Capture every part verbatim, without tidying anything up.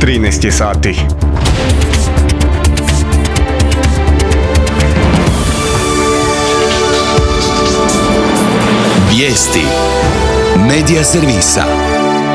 trinaest je sati. Vijesti Medija servisa.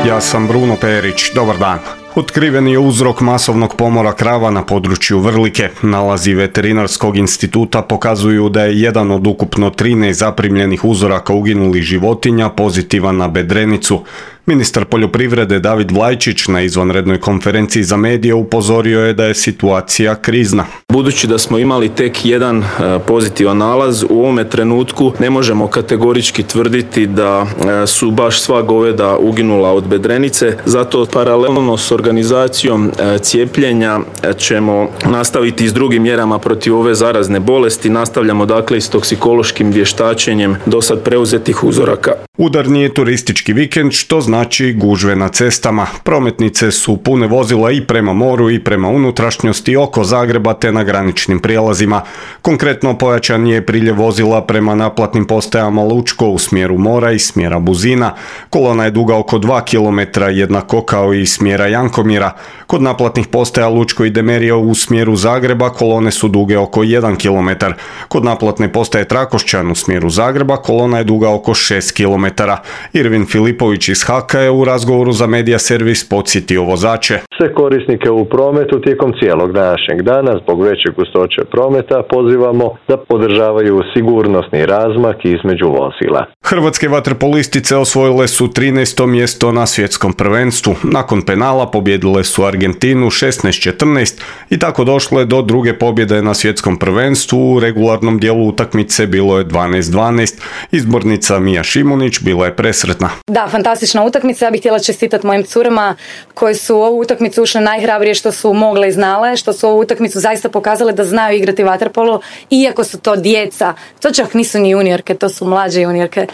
Ja sam Bruno Perić, dobar dan. Otkriven je uzrok masovnog pomora krava na području Vrlike. Nalazi Veterinarskog instituta pokazuju da je jedan od ukupno trinaest zaprimljenih uzoraka uginulih životinja pozitivan na bedrenicu. Ministar poljoprivrede David Vlajčić na izvanrednoj konferenciji za medije upozorio je da je situacija krizna. Budući da smo imali tek jedan pozitivan nalaz, u ovome trenutku ne možemo kategorički tvrditi da su baš sva goveda uginula od bedrenice, zato paralelno s organizacijom cijepljenja ćemo nastaviti s drugim mjerama protiv ove zarazne bolesti. Nastavljamo dakle i s toksikološkim vještačenjem do sad preuzetih uzoraka. Udarni je turistički vikend, što znači gužve na cestama. Prometnice su pune vozila i prema moru i prema unutrašnjosti oko Zagreba te na graničnim prijelazima. Konkretno pojačan je priljev vozila prema naplatnim postajama Lučko u smjeru mora i smjera Buzina. Kolona je duga oko dva kilometra, jednako kao i smjera Jankomira. Kod naplatnih postaja Lučko i Demerija u smjeru Zagreba kolone su duge oko jedan kilometar. Kod naplatne postaje Trakošćan u smjeru Zagreba kolona je duga oko šest kilometara. Irvin Filipović iz Haka je u razgovoru za Medija servis podsjetio vozače. Sve korisnike u prometu tijekom cijelog današnjeg dana zbog veće gustoće prometa pozivamo da podržavaju sigurnosni razmak između vozila. Hrvatske vaterpolistice osvojile su trinaesto mjesto na svjetskom prvenstvu. Nakon penala pobijedile su Argentinu šesnaest četrnaest i tako došle do druge pobjede na svjetskom prvenstvu. U regularnom dijelu utakmice bilo je dvanaest dvanaest. Izbornica Mija Šimunić bila je presretna. Da, fantastična utakmica. Ja bih htjela čestitati mojim curama koji su u ovu utakmicu ušle najhrabrije što su mogle i znale, što su ovu utakmicu zaista pokazale da znaju igrati vaterpolo, iako su to djeca. To čak nisu ni juniorke, to su mlađe juniorke. E,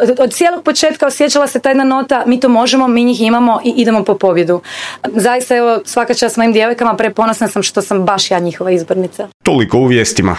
od, od cijelog početka osjećala se ta jedna nota, mi to možemo, mi njih imamo i idemo po pobjedu. Zaista, evo, svaka čast mojim djevojkama, preponosna sam što sam baš ja njihova izbornica. Toliko u vijestima.